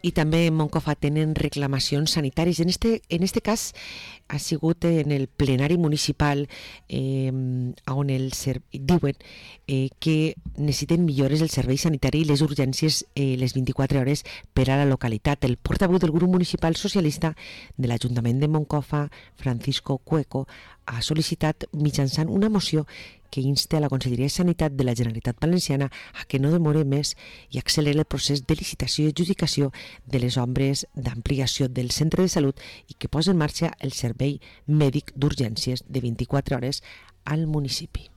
I també en Moncofa tenen reclamacions sanitàries. En este cas ha sigut en el plenari municipal on diuen que necessiten millores el servei sanitari i les urgències les 24 hores per a la localitat. El portaveu del grup municipal socialista de l'Ajuntament de Moncofa, Francisco Cueco, ha sol·licitat mitjançant una moció que insta a la Conselleria de Sanitat de la Generalitat Valenciana a que no demore més i acceleri el procés de licitació i adjudicació de les obres d'ampliació del centre de salut i que posi en marxa el servei mèdic d'urgències de 24 hores al municipi.